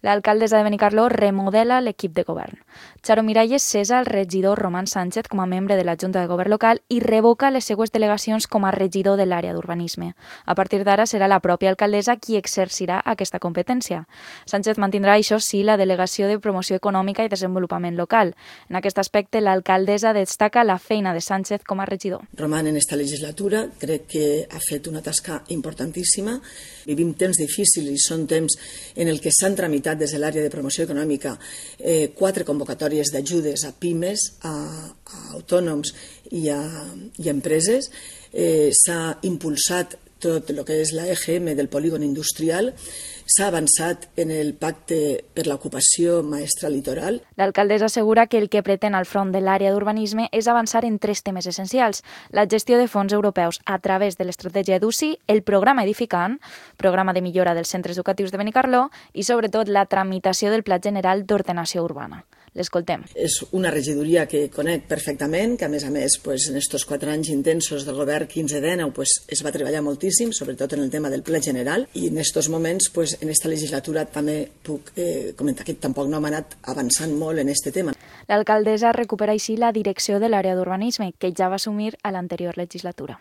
L'alcaldessa de Benicarló remodela l'equip de govern. Charo Miralles cessa el regidor Román Sánchez com a membre de la Junta de Govern local i revoca les seues delegacions com a regidor de l'àrea d'urbanisme. A partir d'ara serà la pròpia alcaldessa qui exercirà aquesta competència. Sánchez mantindrà, això sí, la delegació de promoció econòmica i desenvolupament local. En aquest aspecte, l'alcaldessa destaca la feina de Sánchez com a regidor. Román en esta legislatura crec que ha fet una tasca importantíssima. Vivim temps difícils i són temps en el que s'han tramitat des de l'àrea de promoció econòmica 4 convocatòries d'ajudes a pimes, a autònoms i a empreses. S'ha impulsat tot el que és la EGM del polígon industrial, s'ha avançat en el pacte per l'ocupació maestra litoral. L'alcaldessa assegura que el que pretén al front de l'àrea d'urbanisme és avançar en 3 temes essencials: la gestió de fons europeus a través de l'estratègia EDUSI, el programa Edificant, programa de millora dels centres educatius de Benicarló, i sobretot la tramitació del Pla General d'Ordenació Urbana. L'escoltem. És una regidoria que conec perfectament, que a més, en aquests 4 anys intensos del govern 15-19 es va treballar moltíssim, sobretot en el tema del Pla General, i en aquests moments, en aquesta legislatura també puc comentar que tampoc no hem anat avançant molt en aquest tema. L'alcaldessa recupera així la direcció de l'àrea d'urbanisme, que ja va assumir a l'anterior legislatura.